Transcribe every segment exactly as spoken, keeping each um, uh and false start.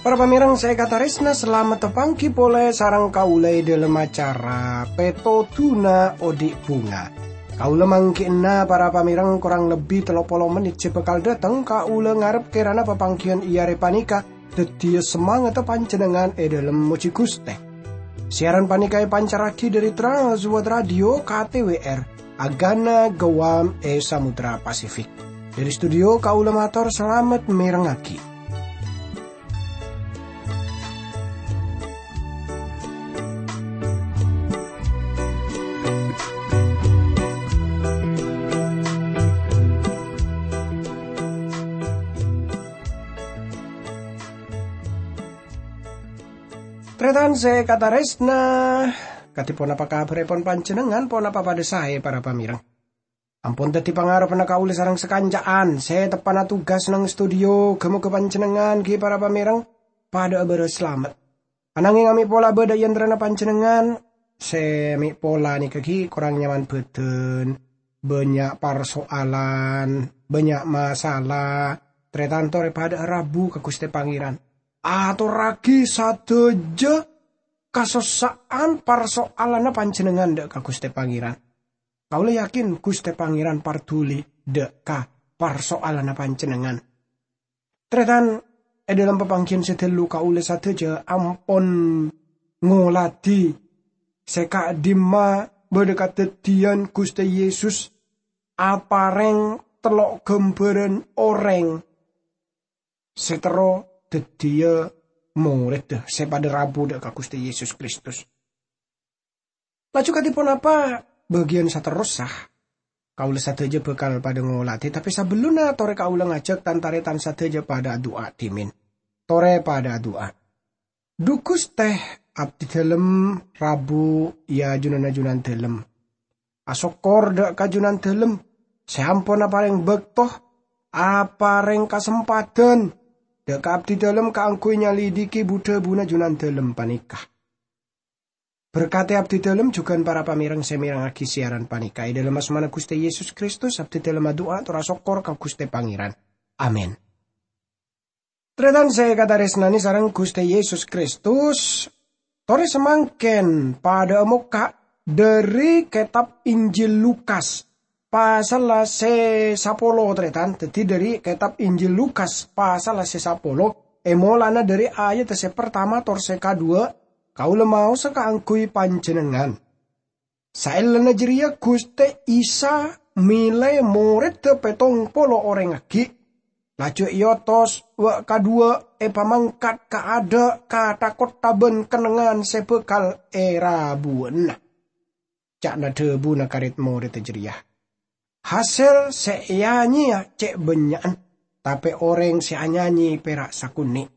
Para pamèrèng sè èkatarèsna, salamet tapangghi polè sareng kaulâ è dhâlem acara Pètodhuna Odi' Bhunga. Kaulâ mangghi'na para pamèrèng korang lebbi tello polo mennit sè bhâkal dhâteng, kaulâ ngarep kèrana papangghiyân è arè panèka dhâddhiyâ samangatta panjhennengngan è dhâlem mojhi Ghustè. Siaran panèka èpancarraghi dhâri Trans World Radio K T W R, Agana Guam è Samudra Pasifik. Dhâri studio kaulâ mator salamet mèrengngaghi. Tarètan sè èkatarèsna, kadhi ponapa kabhârèpon panjhennengngan? Ponapa padhâ saè, para pamèrèng? Ampon dhâddhi pangarebbhânna kaulâ sareng sakanca'an sè teppa'na tugas neng studio. Ghâ-moghâ panjhennengngan ghi' para pamèrèng padhâ'â bârâs salamet. Anangèng amè' pola bâdâ è antarana panjhennengngan sè amè' pola nèka ghi' korang nyaman bhâdhân, bânnya' parsoalan, bânnya' masalah, tarètan torè padhâ'â rabu ka Ghustè Pangèran. Atorraghi sadhâjâ kasossa'an parsoalanna panjhennengngan dâ' ka Ghustè Pangèran. Kaulâ yakin Ghustè Pangèran parduli dâ' ka parsoalanna panjhennengngan. Tarètan, è dhâlem papangghiyân sè ghâllu kaulâ sadhâjâ ampon ngoladhi sè ka'dimma bâdâ kadhâddhiyân Ghustè Yesus aparèng tello' ghâmbhârân orèng sè terro dhâddhiyâ morèdda sè padhâ rabu dâ' ka Ghustè Yesus Kristus. Laju kadhi ponapa bâgiyân saterrossa? Kaulâ sadhâjâ bhâkal padhâ ngoladhi, tapè sabellunna torè kaulâ ngajhâk tan-tarètan sadhâjâ padhâ adu'a dhimèn. Torè padhâ adu'a. Dhu Ghustè, abdhi dhâlem rabu è ajunanna Junandhâlem. Asokkor dâ' ka Junandhâlem sè ampon aparèng bâkto, aparèng kasempadhân dâ' ka abdhi dhâlem kaangghuy nyalidhiki bu-dhâbuna Junandhâlem panèka. Berkadhi abdhi dhâlem jhughân para pamèrèng sè mèrengngaghi siaran panèka. È dhâlem asmana Ghustè Yesus Kristus, abdhi dhâlem adu'a tor asokkor ka Ghustè Pangèran. Amin. Tarètan sè èkatarèsnanè sareng Ghustè Yesus Kristus, torè samangkèn padhâ'â mokka' dhâri kètab Injil Lukas, pasalla sè sapolo, tarètan. Dhâddhi, dhâri kètab Injil Lukas, pasalla sè sapolo, è molana dhâri ayadda sè partama tor sè kadhuwâ', kaulâ maosa kaangghuy panjhennengngan. Saellana jârèya Ghustè Isa mèlè morèdda pèttong polo orèng aghi', laju èotos wâ' kadhuwâ' èpamangkat kaadâ' ka tha-kottha bân kennengngan sè bhâkal èrabuwâna. Ca'na dhâbuna ka rèd-morèdda jârèya, "Hasèl sè èanyèya cè' bânnya'an, tapè orèng sè anyanyè pèra' sakonè'.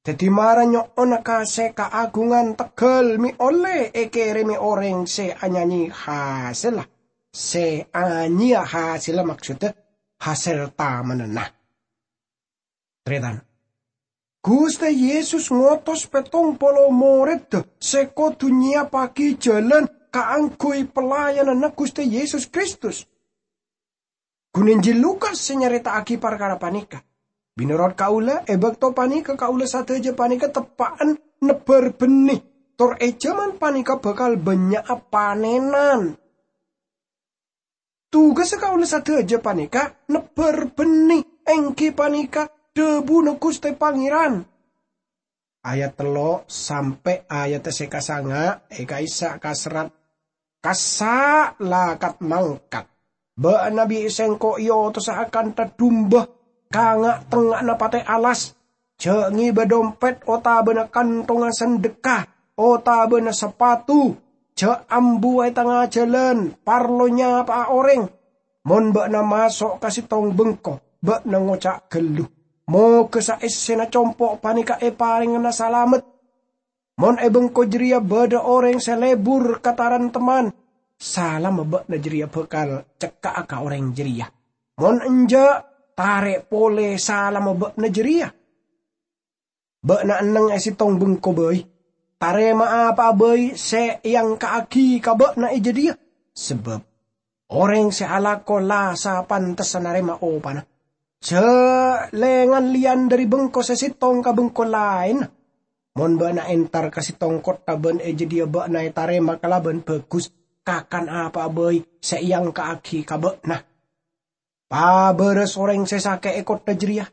Dhâddhi mara nyo'ona ka sè kaagungan tegghâl mè' ollè èkèrèmè orèng sè anyanyè hasèlla, sè anyèya hasèlla, maksodda hasèl tamananna." Tarètan, Ghustè Yesus ngotos pèttong polo morèdda sè kodhu nyèyappaghi jhâlân kaangghuy pelayananna Ghustè Yesus Kristus. Ghun Injil Lukas sè nyarèta'aghi parkara panèka. Mènorot kaulâ, è bâkto panèka kaulâ sadhâjâ panèka teppa'en nebbhâr bhennè, tor è jhâman panèka bhâkal bânnya'a panènan. Tugassa kaulâ sadhâjâ panèka nebbhâr bhennè, èngghi panèka dhâbuna Ghustè Pangèran. Ayat tello' sampè' ayat sè kasanga' è ka'issa' kaserrat, "Kassa' la kat-mangkat! Bâ'na bi' Sèngko' èotosa akantha dumba ka nga'-tengnga'anna patè' alas. Jhâ' ngèbâ dompet otabâna kanthongnga sandhekka otabâna sapatu. Jhâ' ambu è tengnga jhâlân parlo nyapa'a orèng. Mon bâ'na maso' ka sèttong bengko, bâ'na ngoca' ghâllu, 'Moghâ saèssèna compo' panèka èparèngana salamet.' Mon è bengko jârèya bâdâ orèng sè lebur ka tarem-temman, salamma bâ'na jârèya bhâkal cekka'a ka orèng jârèya. Mon enjâ', tarè' polè salamma bâ'na jârèya. Bâ'na enneng è sèttong bengko bhâi. tarèma'a apa'a bhâi sè èangka'aghi ka bâ'na è jâdiyâ, sabâb orèng sè alako la sapantes narèma opana. Jhâ' lèngan lèyan dhâri bengko sè sèttong ka bengko laènna. Mon bâ'na entar ka sèttong kottha bân è jâdiyâ bâ'na ètarèma kalabân bhâghus kakan apa'a bhâi sè èangka'aghi ka bâ'na. Pabârâs orèng sè sakè' è kottha jârèya,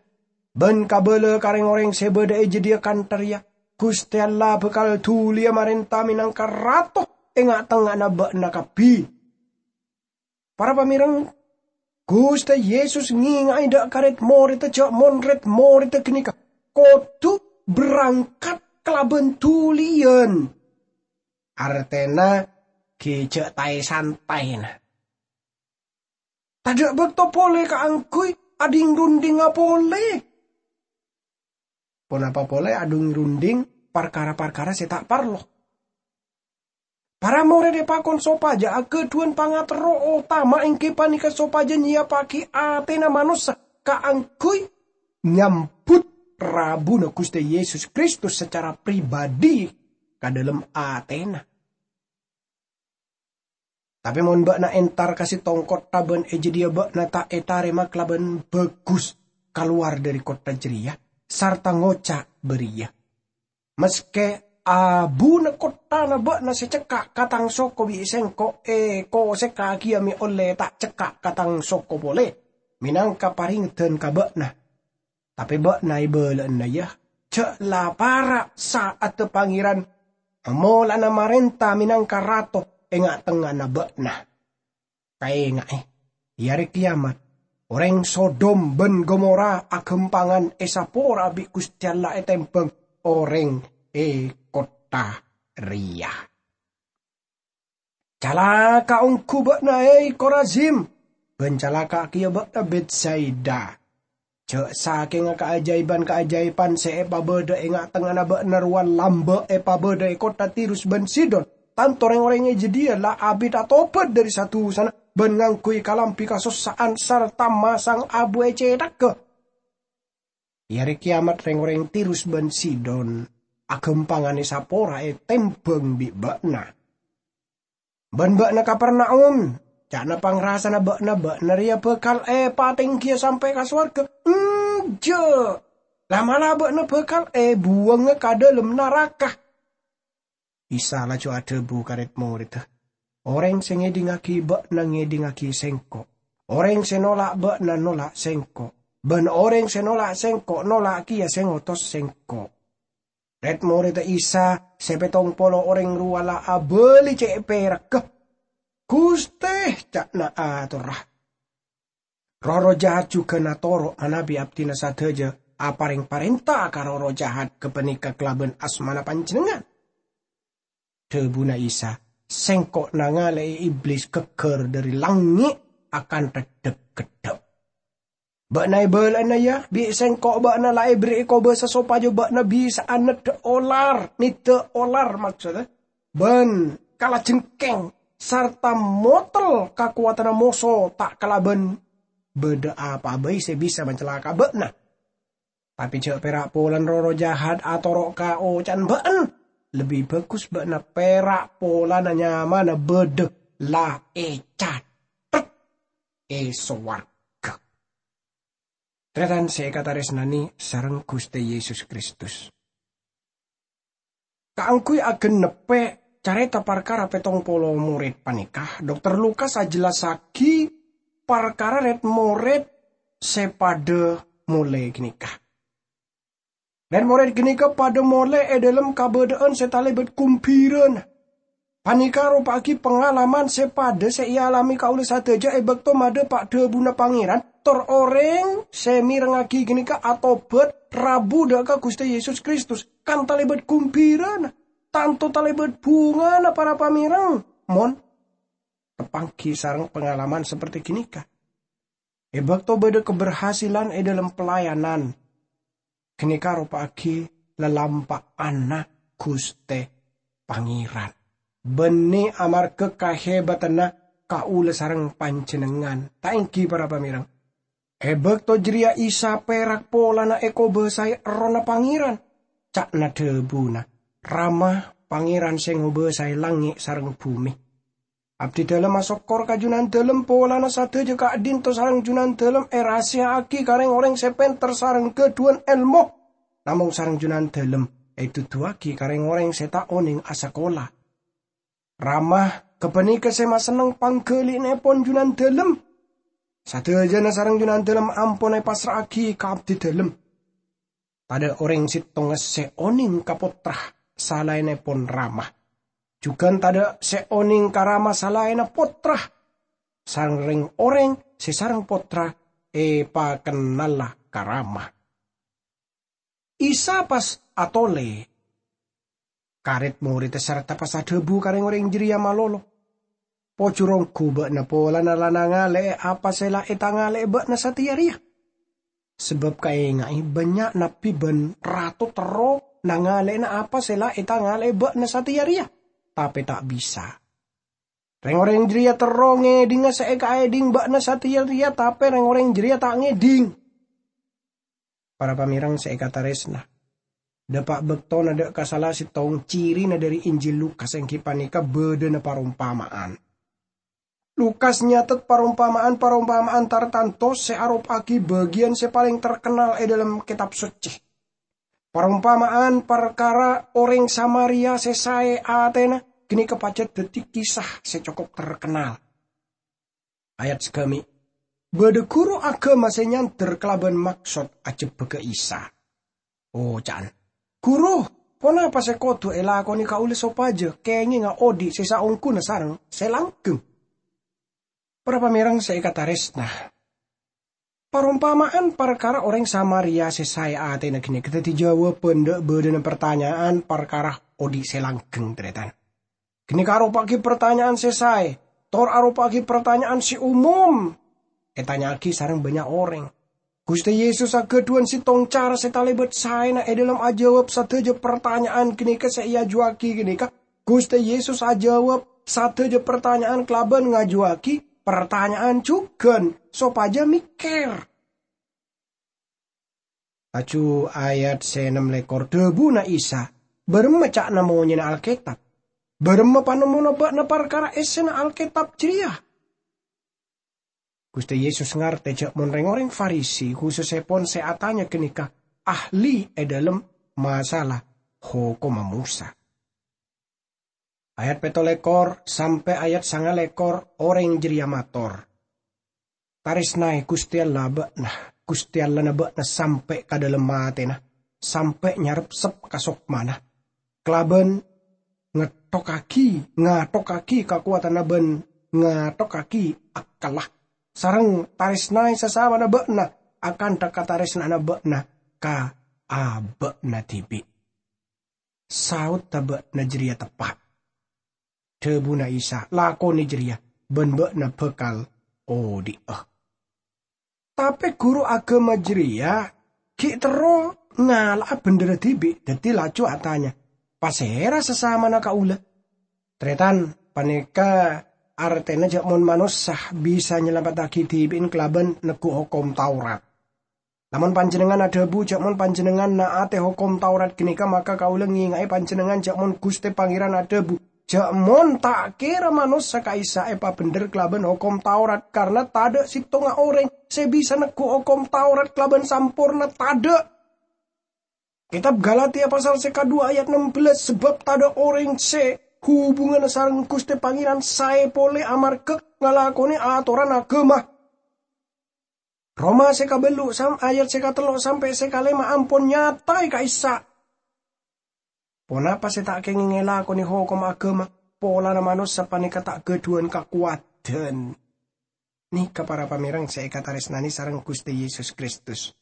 bân kabâlâ ka rèng-orèng sè bâdâ è jâdiyâ kantha rèya, Ghustè Allah bhâkal dhuliyâ marènta mènangka Rato è nga'-tengnga'anna bâ'na kabbhi. Para pamèreng, Ghustè Yesus ngènga'è dâ' ka rèd-morèdda jhâ' mon rèd-morèdda ghânèka kodhu berangkat kalabân dhuliyân. Artèna ghi' jhâ' taè-santèna. Tadâ' bâkto polè kaangghuy adhing-rundhingnga polè. Ponapa polè adhing-rundhing parkara-parkara sè ta' parlo? Para morèd èpakon sopajâ aghâdhuwân pangaterro otama èngghi panèka sopajâ nyèyappaghi atèna manossa kaangghuy nyambut rabuna Ghustè Yesus Kristus sacara pribadhi ka dâlem atèna. Tapè mon bâ'na entar ka sèttong kottha bân è jâdiyâ bâ'na ta' ètarèma kalabân bhâghus kalowar dhâri kottha jârèya, sarta ngoca' bâriyâ, "Maskè abuna kotthana bâ'na sè cekka' ka tang soko bi' sèngko' èkosèkkaghiyâ mè' ollè ta' cekka' ka tang soko polè, mènangka parèngedhân ka bâ'na." Tapè bâ'na èbâlâ'âna, yâ, jhâ' la para' sa'adda Pangèran molana marènta mènangka Rato è nga'-tengnga'anna bâ'na. Kaènga'è, è Arè Kèyamat, orèng Sodom bân Gomora aghâmpangan èsapora bi' Ghustè Allah ètèmbhâng orèng è kottha rèya. Calaka' ongghu bâ'na, è Korazim, bân calaka' kèya bâ'na, Betsaida! Jhâ' sakènga kaajâibhân-kaajâibhân sè èpabâdâ è nga'-tengnga'anna bâ'na rowa lambâ' èpabâdâ è kottha Tirus bân Sidon, tanto rèng-orèng è jâdiyâ la abit atobhât dhâri sa-dusana bân ngangghuy kalambhi kasossa'an sarta masang abu è cèthagghâ. È Arè Kèyamat rèng-orèng Tirus bân Sidon aghâmpangan èsapora ètèmbhâng bi' bâ'na. "Bân bâ'na, Kapernaum," ca'na pangrasana bâ'na, "bâ'na rèya bhâkal èpatènggiyâ sampè' ka sowarghâ? Enjâ'! La'-mala' bâ'na bhâkal èbuwângnga ka dâlem naraka." Isa laju adhâbu ka rèd-morèdda, "Orèng sè ngèdingngaghi bâ'na ngèdingngaghi Sèngko'. Orèng sè nola' bâ'na nola' Sèngko'. Bân orèng sè nola' Sèngko' nola' kèya sè ngotos Sèngko'." Rèd-morèdda Isa sè pèttong polo orèng rowa la abâli cè' pèragghâ. "Ghustè," ca'na atorra, "roh-erroh jahat jhughân atoro' manabi abdhina sadhâjâ aparèng parènta ka roh-erroh jahat ghâpanèka kalabân asmana Panjhennengngan." Dhâbuna Isa, "Sèngko' nangalè'è Iblis ghâgghâr dhâri langngè' akantha dhâp-ghedhâp." "Bâ'na èbâlâ'âna, yâ, bi' Sèngko' bâ'na la èberri'i kobâsa sopajâ bâ'na bisa'a neddhâ' olar, neddhâ' olar, maksodda, bân kala jengkèng, sarta motel kakowadhânna moso ta' kalabân bâdâ apa'a bhâi sè bisa macalaka'a bâ'na. Tapè jhâ' pèra' polana roh-erroh jahat atoro' ka oca'na bâ'na. Lebbi bhâghus bâ'na pèra' polana nyamana bâdâ la ècatet è sowarghâ." Tarètan sè èkatarèsnanè sareng Ghustè Yesus Kristus. Kaangghuy agenneppè carèta parkara pèttong polo morèd panèka, Dokter Lukas ajhellassaghi parkara rèd-morèd sè padâ molè ghânèka. Rèd-morèd ghânèka padâ molè è dâlem kabâdâ'ân sè talèbât ghumbhirana. Panèka aropa'aghi pangalaman sè padâ sè èalamè kaulâ sadhâjâ è bâkto madhâpa' dhâbuna Pangèran, tor orèng sè mèrengngaghi ghânèka atobhât rabu dâ' ka Ghustè Yesus Kristus, kan talèbât ghumbhirana. Tanto talèbât bhungana, para pamèreng, mon tapanggi sareng pangalaman saperti ghânèka. È bâkto bâdâ kaberhasilan è dâlem pelayanan, ghânèka aropa'aghi lalampa'anna Ghustè Pangèran, bânnè amarghâ kahèbâtanna kaulâ sareng panjhennengngan, ta' ènggi, para pamèreng? È bâkto jârèya Isa pèra' polana èkobâsaè Errohna Pangèran. Ca'na dhâbuna, "Rama, Pangèran sè ngobâsaè langngè' sareng bhumè. Abdidâlem asokkor ka Junandâlem polana sadhâjâ ka'dinto sareng Junandâlem èrahasiya'aghi ka rèng-orèng sè pènter sareng ghâdhuwân èlmo, namong sareng Junandâlem èduduwâghi ka rèng-orèng sè ta' onèng asakola. Rama ghâpanèka sè masenneng pangghâli'annèpon Junandâlem. Sadhâjâna sareng Junandâlem ampon èpassra'aghi ka Abdidâlem. Tadâ' orèng sèttonga sè onèng ka Pottra salaènnèpon Rama. Jhughân tadâ' sè onèng ka Rama salaènna Pottra. Sareng rèng-orèng sè sareng Pottra èpakennala ka Rama. Isa pas atolè ka rèd-morèdda sarta pas adhâbu ka rèng-orèng jârèya malolo, "Pojhur ongghu bâ'na polana la nangalè'è apa sè la ètangalè'è bâ'na satèya rèya? Sabâb kaènga'è, bânnya' nabbhi bân rato terro nangalè'ana apa sè la ètangalè'è bâ'na satèya rèya, tapè ta' bisa. Rèng-orèng jârèya terro ngèdhinga sè èkaèdhing bâ'na satèya rèya, tapè rèng-orèng jârèya ta' ngèdhing." Para pamèreng sè èkatarèsna, dâpa' bâktona dâ' ka sala sèttong cirina dhâri Injil Lukas èngghi panèka bâdâna parompama'an. Lukas nyatet parompama'an-parompama'an tartanto sè aropa'aghi bâgiyân sè palèng terkennal è dhâlem Kètab Soccè. Parompama'an parkara orèng Samaria sè saè atèna ghânèka pajhât dhâddhi kisah sè cokop terkennal. Ayat sagâmè', bâdâ ghuru aghâma sè nyandher kalabân maksod ajhebbhâghâ Isa. Oca'na, "Ghuru, ponapa sè kodhu èlakonè kaulâ sopajâ kèngènga odi' sè saongghuna sareng sè langghâng?" Para pamèreng sè èkatarèsna, parompama'an parkara orèng Samaria sè saè atèna ghânèka dhâddhi jâwâbhân dâ' bâdâna partanya'an parkara odi' sè langghâng, tarètan. Ghânèka aropa'aghi partanya'an sè saè, tor aropa'aghi partanya'an sè umum ètanya'aghi sareng bânnya' orèng. Ghustè Yesus aghâdhuwân sèttong cara sè talèbât saèna è dhâlem ajâwâb sadhâjâ partanya'an ghânèka sè èajuwâghi ghânèka. Ghustè Yesus ajâwâb sadhâjâ partanya'an kalabân ngajhuwâghi partanya'an jhughân sopajâ mèkkèr. Laju ayat sè ennem lèkor, dhâbuna Isa, "Bârâmma ca'na monyèna Alkètab? Bârâmma panemmona bâ'na parkara èssèna Alkètab jârèya?" Ghustè Yesus ngartè jâ' mon rèng-orèng Farisi, khusussèpon sè atanya ghânèka ahli è dhâlem masalah Hokomma Mosa. Ayat pètto lèkor sampè' ayat sanga lèkor, orèng jârèya mator, "Tarèsnaè Ghustè Allah bâ'na, Ghustè Allahna bâ'na sampè' ka dhâlem atèna, sampè' nyarepsep ka sokmana, kalabân ngettokkaghi, ngattokkaghi kakowadhânna bân ngattokkaghi akkalla, sareng tarèsnaè sasamana bâ'na akantha katarèsna'anna bâ'na ka abâ'na dhibi'." "Saodhdhâ bâ'na jârèya teppa'," dhâbuna Isa, "lakonè jârèya, bân bâ'na bhâkal odi'â." Tapè ghuru aghâma jârèya ghi' terro ngala'a bhendherra dhibi', dhâddhi laju atanya, "Pasèra sasamana kaulâ?" Tarètan, panèka artèna jâ' mon manossa bisa nyalamettaghi dhibi'na kalabân neggu' Hokom Taurat. Lamon panjhennengngan adhâbu jâ' mon panjhennengngan na'atè Hokom Taurat ghânèka, maka kaulâ ngènga'è panjhennengngan jâ' mon Ghustè Pangèran adhâbu jâ' mon ta' kèra manossa ka'issa' èpabhendher kalabân Hokom Taurat, karna tadâ' sèttonga orèng sè bisa neggu' Hokom Taurat kalabân samporna, tadâ'. Kètab Galatia pasal sè kaduwâ ayat ennem bellâs, "Sabâb tadâ' orèng sè hubunganna sareng Ghustè Pangèran saè polè amarghâ ngalakonè atoran aghâma." Roma sè kabâllu' sam-, ayat sè katello' sampè' sè kalèma' ampon nyataè ka'issa'. Ponapa sè ta' kèngèng èlakonè hokomma aghâma polana manossa panèka ta' ghâdhuwân kakowadhân? Nèka para pamèreng sè èkatarèsnanè sareng Ghustè Yesus Kristus.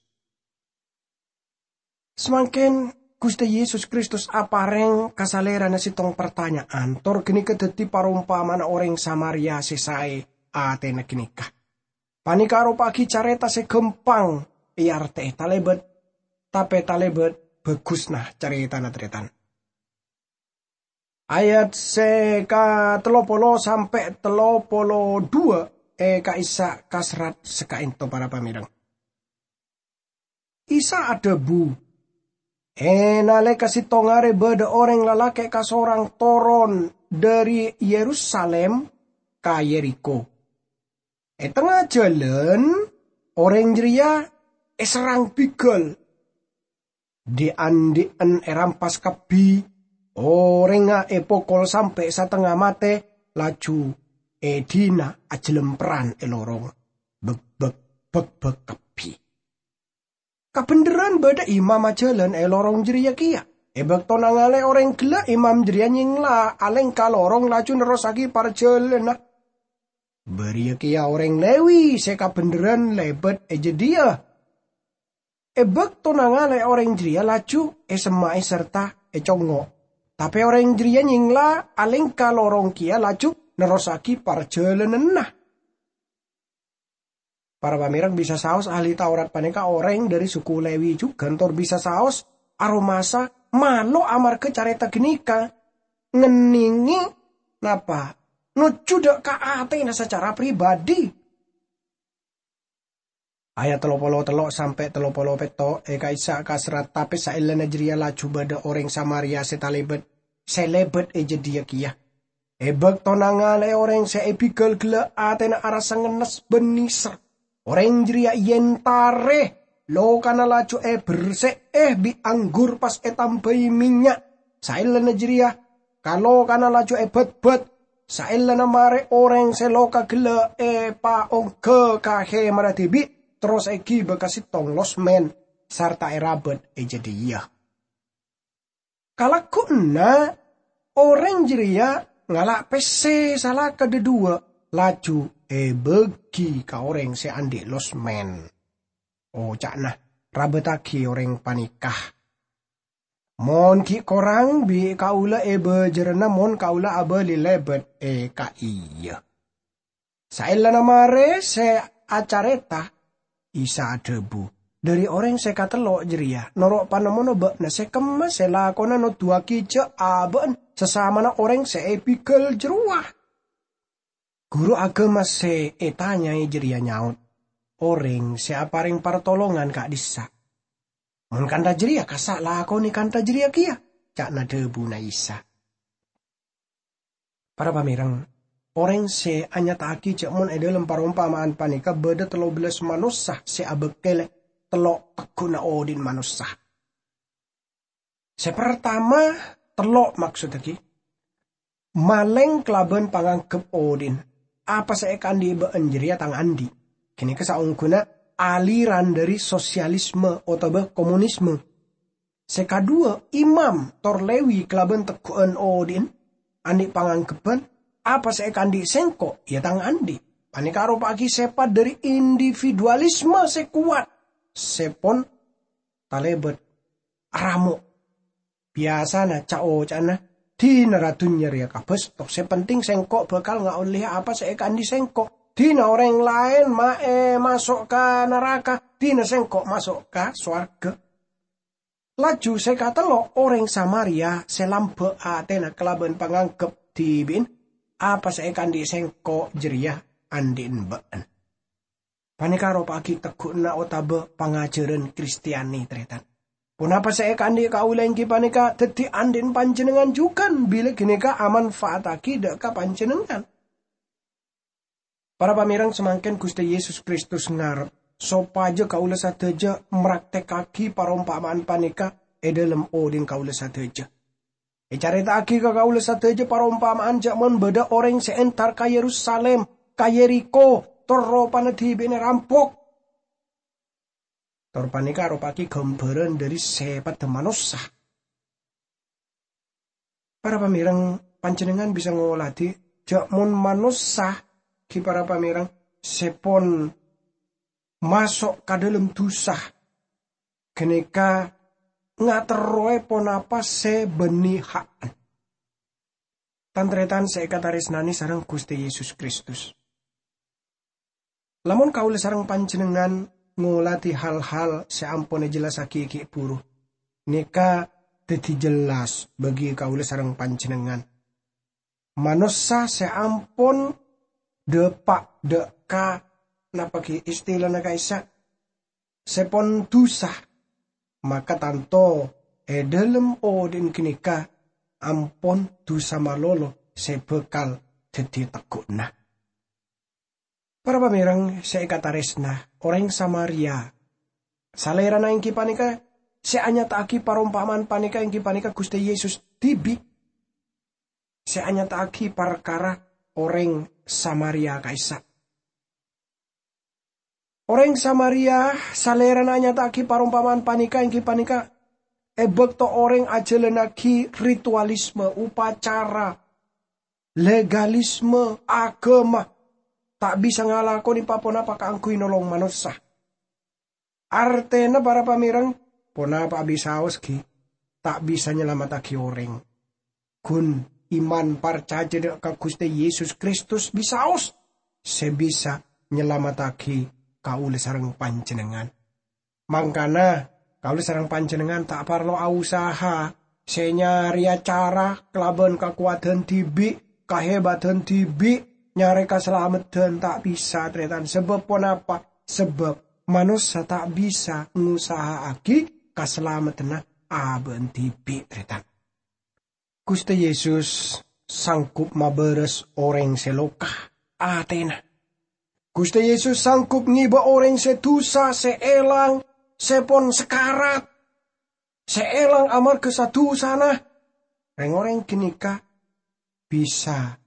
Samangkèn Ghustè Yesus Kristus aparèng ka Salèrana sèttong partanya'an, tor ghânèka dhâddhi parompama'anna orèng Samaria sè saè atèna ghânèka. Panèka aropa'aghi carèta sè ghâmpang èartè'è, talèbât, tapè talèbât bhâghusna carètana, tarètan. Ayat sè ka tello polo sampè' tello polo duwâ' è ka'issa' kaserrat sakaènto, para pamèreng. Isa adhâbu, E nalèka sèttong arè bâdâ orèng lalakè' kasorang toron dâri Yerusalim ka Yerikho. E tengnga jhâlân, orèng jârèya èserrang bighâl. Dhi'-andhi'en èrampas kabbhi, orèngnga èpokol sampè' satengnga matè, laju èdina ajhâlemperran è lorong, bek-bek, bek-bek kabbhi. Kabhendherran bâdâ imam ajhâlân è lorong jârèya kèya. È bâkto nangalè orèng ghellâ', imam jârèya nyèngla alèngka lorong laju nerrossaghi parjhâlânanna. Bâriyâ kèya orèng Lewi sè kabhendherran lèbât è jâdiyâ. È bâkto nangalè orèng jârèya laju èsemma'è sarta ècongngo'. Tapè orèng jârèya nyèngla alèngka lorong kèya laju nerrossaghi parjhâlânanna. Para pamèreng, bisa saos ahli Taurat panèka orèng dâri suku Lewi jhughân, tor bisa saos aromasa malo amarghâ carèta ghânèka ngennengngè napa? Nojjhu dâ' ka atèna sacara pribadi. Ayat tello polo tello' sampè' tello polo pètto' è ka'issa' kaserrat, tapè saellana jârèya laju bâdâ orèng Samaria sè talèbât, sè lèbât è jâdiyâ kèya. È bâkto nangalè orèng sè èbighâl ghellâ', atèna arassa ngennes bân nèser. Orèng jârèya èentarè, lokana laju èberse'è bi' anggur pas ètambâi mènnya'. Saellana jârèya, ka lokana laju èbâtbât. Saellana marè orèng sè loka ghellâ' èpaongghâ ka hèmarra dhibi', terros èghibâ ka sèttong losmèn, sarta èrabât è jâdiyâ. Kalagguwanna orèng jârèya ngala' pèssè salaka dhâduwâ, laju èbâgi ka orèng sè andi' losmèn. Oca'na, "Rabâtaghi orèng panèka. Mon ghi' korang, bi' kaulâ èbâjârâna mon kaulâ abâli lèbât è ka'iyâ." Saellana marè sè acarèta, Isa adhâbu, "Dâri orèng sè katello' jârèya, noro' panemmona bâ'na sè kemma sè lakona noduwâghi jâ' abâ'na sasamana orèng sè èbighâl jârowa." Guru aghâma sè ètanyaè jârèya nyaot, "Orèng sè aparèng partolongan ka'dhissa'." "Mon kantha jârèya, kassa' lakonè kantha jârèya kèya," ca'na dhâbuna Isa. Para pamèreng, orèng sè anyata'aghi jâ' mon è dhâlem parompama'an panèka bâdâ tello bellâs manossa sè abâkkèlè tello' tegghu'na odi'na manossa. Sè partama, tello' maksoddhâghi, malèng kalabân pangangghep odi'na, "Apa sè èkaandhi' bâ'na jârèya tang andi'." Ghânèka saongghuna aliran dâri sosialisme otabâ komunisme. Sè kaduwâ, imam tor Lewi kalabân tegghu'ân odi'na, andi' pangangghebhân, "Apa sè èkaandhi' sèngko', ya tang andi'." Panèka aropa'aghi sèpat dâri individualisme sè kowat, sè pon talèbât aramo'. Biyasana ca'-oca'na, "Dinara dhunnya rèya kabâsto, sè penting sèngko' bhâkal ngaollè apa sè èkaandhi' sèngko'. Dina orèng laèn ma-, è, maso' ka naraka, dina sèngko' maso' ka sowarghâ." Laju sè katello', orèng Samaria sè lambâ' atèna kalabân pangangghep dhibi'na, "Apa sè èkaandhi' sèngko' jârèya andhi'na bâ'na." Panèka aropa'aghi tegghu'na otabâ pangajhârân Kristiani, tarètan. Ponapa sè èkaandhi' kaulâ èngghi panèka dhâddhi andhi'na panjhennengngan jhughân bilâ ghânèka amanfa'attaghi dâ' ka panjhennengngan. Para pamèreng, samangkèn Ghustè Yesus Kristus ngarep sopajâ kaulâ sadhâjâ mraktèkkaghi parompama'an panèka è dhâlem odi'na kaulâ sadhâjâ. Ècarèta'aghi ka kaulâ sadhâjâ parompama'an jâ' mon bâdâ orèng sè entar ka Yerusalim, ka Yerikho, tor ropana dhibi'na èrampok. Tor panèka aropa'aghi ghâmbhârân dâri sèpaddhâ manossa. Para pamèreng, panjhennengngan bisa ngoladhi jâ' mon manossa, ghi para pamèreng, sè pon maso' ka dhâlem dhusa, ghânèka ngaterrowè ponapa sè bânnè ha'na. Tan-tarètan sè èkatarèsnanè sareng Ghustè Yesus Kristus. Lamon kaulâ sareng panjhennengngan ngoladhi hal-hal sè ampon èjellassaghi ghi' buru, nèka dhâddhi jellas bagi kaulâ sareng panjhennengngan. Manossa sè ampon dâpa' dâ' ka, napa ghi istilana ka'issa', sè pon dhusa, maka tanto è dhâlem odhi'na ghânèka ampon dhusa malolo sè bhâkal dhâddhi tegghu'na. Para pamèreng sè èkatarèsna, orèng Samaria, Salèrana èngghi panèka sè anyata'aghi parompama'an panèka èngghi panèka Ghustè Yesus dhibi', sè anyata'aghi parkara orèng Samaria ka'issa'. Orèng Samaria Salèrana anyata'aghi parompama'an panèka èngghi panèka è bâkto orèng ajhâlânnaghi ritualisme, upacara, legalisme aghâma, ta' bisa ngalakonè pa-ponapa kaangghuy nolong manossa. Artèna, para pamèreng, ponapa abisaos ghi' ta' bisa nyalamettaghi orèng. Ghun iman parcajâ dâ' ka Ghustè Yesus Kristus bisaos sè bisa nyalamettaghi kaulâ sareng panjhennengngan. Mangkana, kaulâ sareng panjhennengngan ta' parlo ausaha sè nyarèya cara kalabân kakowadhân dhibi', kahèbadhân dhibi', nyarè kasalameddhân ta' bisa, tarètan. Sabâb ponapa? Sabâb manossa ta' bisa ngosaha'aghi kasalameddhânna abâ'na dhibi', tarètan. Ghustè Yesus sanggup mabârâs orèng sè loka atèna. Ghustè Yesus sanggup ngèbâ orèng sè dusa, sè èlang, sè pon sakarat, sè èlang amarghâ sa-dusana. Rèng-orèng ghânèka bisa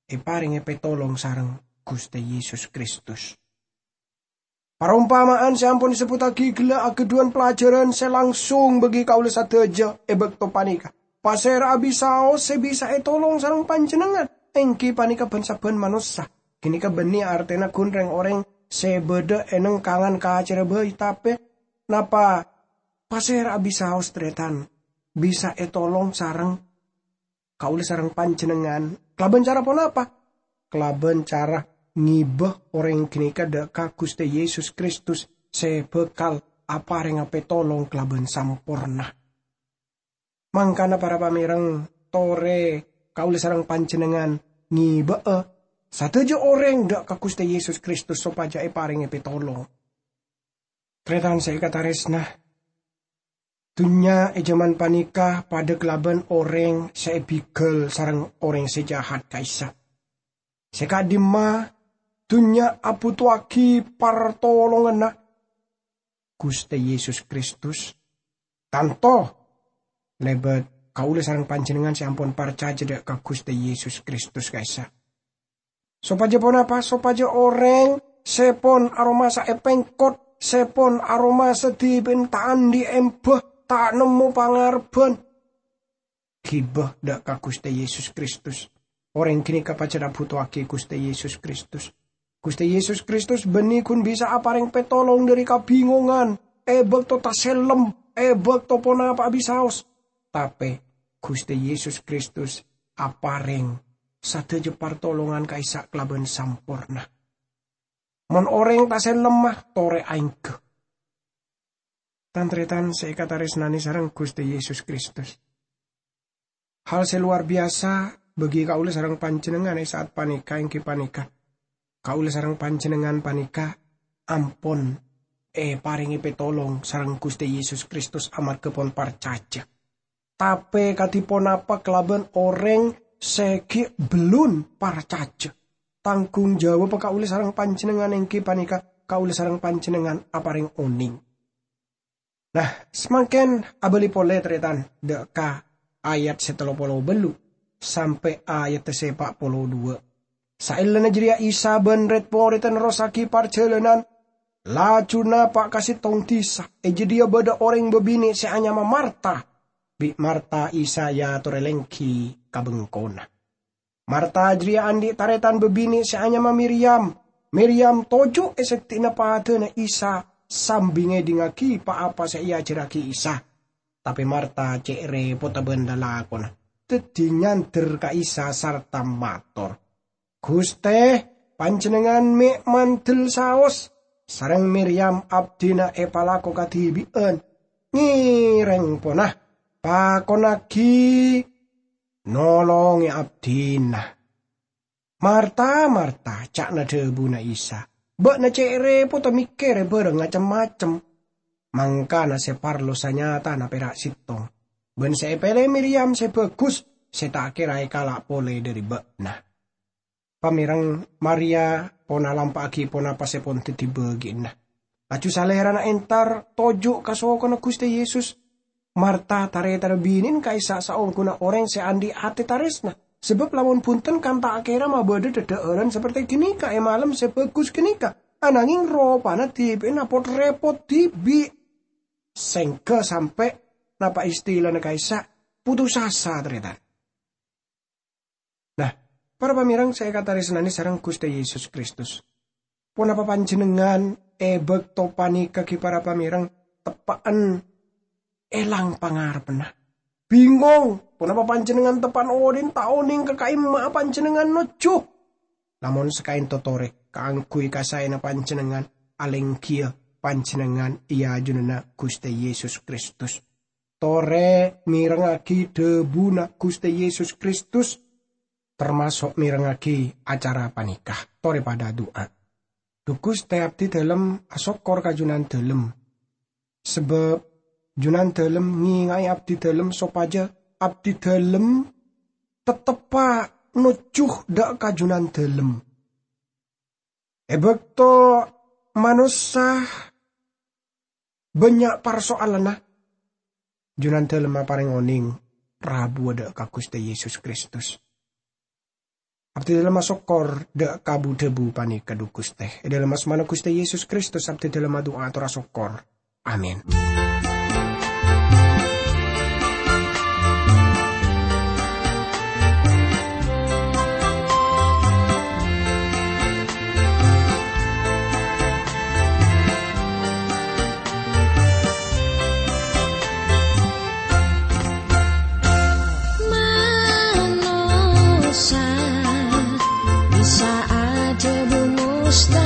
èparèngè pètolong sareng Ghustè Yesus Kristus. Parompama'an sè ampon èsebbhuttaghi ghellâ' aghâdhuwân pelajaran sè langsung bagi kaulâ sadhâjâ è bâkto panèka. Pasèra abisaos sè bisa ètolong sareng panjhennengngan, èngghi panèka bân-sabbhân manossa. Ghânèka bânnè artèna ghun rèng-orèng sè bâdâ è nengkangan kacèrra bhâi, tapè napa pasèra abisaos, tarètan, bisa ètolong sareng kaulâ sareng panjhennengngan kalabân cara ponapa? Kalabân cara ngèbâ orèng ghânèka dâ' ka Ghustè Yesus Kristus sè bhâkal aparènga pètolong kalabân samporna. Mangkana, para pamèreng, torè kaulâ sareng panjhennengngan ngèbâ'â sadhâjâ orèng dâ' ka Ghustè Yesus Kristus sopajâ èparèngè pètolong. Tarètan sè èkatarèsna, dhunnya è jhâman panèka padâ kalabân orèng sè èbigâl sareng orèng sè jahat ka'issa'. Sè ka'dimma, dhunnya abhutoaghi partolonganna Ghustè Yesus Kristus, tanto lèbât kaulâ sareng panjhennengngan sè ampon parcajâ dâ' ka Ghustè Yesus Kristus ka'issa'. Sopajâ ponapa? Sopajâ orèng sè pon aromasa èpèngkot, sè pon aromasa dhibi'en ta' andi' embhâ, ta' nemmo pangarebbhân, ghibâ dâ' ka Ghustè Yesus Kristus. Orèng ghânèka pajhât abhutoaghi Ghustè Yesus Kristus. Ghustè Yesus Kristus bânnè ghun bisa aparèng pètolong dhâri kabingongan, è bâkto tasellem, è bâkto ponapa abisaos. Tapè Ghustè Yesus Kristus aparèng sadhâjâ partolongan ka'issa' kalabân samporna. Mon orèng tasellem, torè aèngghâ. Tan-tarètan sè èkatarèsnanè sareng Ghustè Yesus Kristus. Hal sè lowar biyasa bagi kaulâ sareng panjhennengngan è sa'at panèka èngghi panèka, kaulâ sareng panjhennengngan panèka ampon èparèngè pètolong sareng Ghustè Yesus Kristus amarghâ pon parcajâ. Tapè kadhi ponapa kalabân orèng sè ghi' bellun parcajâ? Tangghung jawabhâ kaulâ sareng panjhennengngan èngghi panèka kaulâ sareng panjhennengngan aparèng onèng. Nah, samangkèn abâli polè, tarètan, dâ' ka ayat sè tello polo bâllu' sampè' ayat sè pa' polo duwâ'. Saellana jârèya Isa bân red-morèdda nerrossaghi parjhâlânan. Laju napa' ka sèttong dhisa. È jâdiyâ bâdâ orèng bâbinè' sè anyama Marta. Bi' Marta Isa èyatorè lèngghi ka bengkona. Marta jârèya andi' tarètan bâbinè' sè anyama Miryam. Miryam toju' è seddi'na padâna Isa sambi ngèdingngaghi pa-apa sè èajhârraghi Isa. Tapè Marta cè' rèpotta bân lalakonna, dhâddhi nyandher ka Isa sarta mator, "Ghustè, Panjhennengngan mè' mandel saos, sareng Miryam abdhina èpalako kadhibi'ân. Ngèrèng pona, pakonnaghi nolongè abdhina." "Marta, Marta," ca'na dhâbuna Isa, "bâ'na cè' rèpotta mèkkèrè bârâng cem-macem. Mangkana sè parlo sanyatana pèra' sèttong, bân sè èpèlè Miryam sè bhâghus, sè ta' kèra èkala' polè dhâri bâ'na. Pamèreng, Maria pon alampa'aghi ponapa sè pon dhâddhi bâgi'ânna. Laju Salèrana entar toju' ka sokona Ghustè Yesus. Marta, tarètanna binèna ka'issa' saongghuna orèng sè andi' atè tarèsna, sabâb lamon bhunten kan ta' kèra mabâdâ dhâdhâ'ârân saperte ghânèka è malem sè bhâghus ghânèka, ananghing ropana dhibi'na pot-rèpot dhibi'. Sèngghâ sampè' napa istilana ka'issa' putus asa, tarètan. Nah, para pamèreng sè èkatarèsnanè sareng Ghustè Yesus Kristus, ponapa panjhennengngan è bâkto panèka ghi' para pamèreng teppa'en èlang pangarebbhânna? Bingong, ponapa panjhennengngan teppa'en odhi'na ta' onèng ka ka'imma'a panjhennengngan nojjhu? Lamon sakaènto torè kaangghuy kasaèna panjhennengngan, alèngghiyâ panjhennengngan è ajunanna Ghustè Yesus Kristus. Torè mèrengngaghi dhâbuna Ghustè Yesus Kristus, tamaso' mèrengngaghi acara panèka. Torè padâ adu'a. Dhu Ghustè, abdhidhâlem asokkor ka Jhunandhâlem, sabâb Jhunandhâlem ngènga'è abdhidhâlem sopajâ abdhidhâlem tetteppa' nojjhu dâ' ka Jhunandhâlem. È bâkto manossa bânnya' parsoalanna, Jhunandhâlem aparèng onèng rabuwâ dâ' ka Ghustè Yesus Kristus. Abdhidhâlem asokkor dâ' ka bu-dhâbu panèka, dhu Ghustè. È dhâlem asmana Ghustè Yesus Kristus abdhidhâlem adu'a ator asokkor. Amin. Manossa bisa adhâbu mustahil.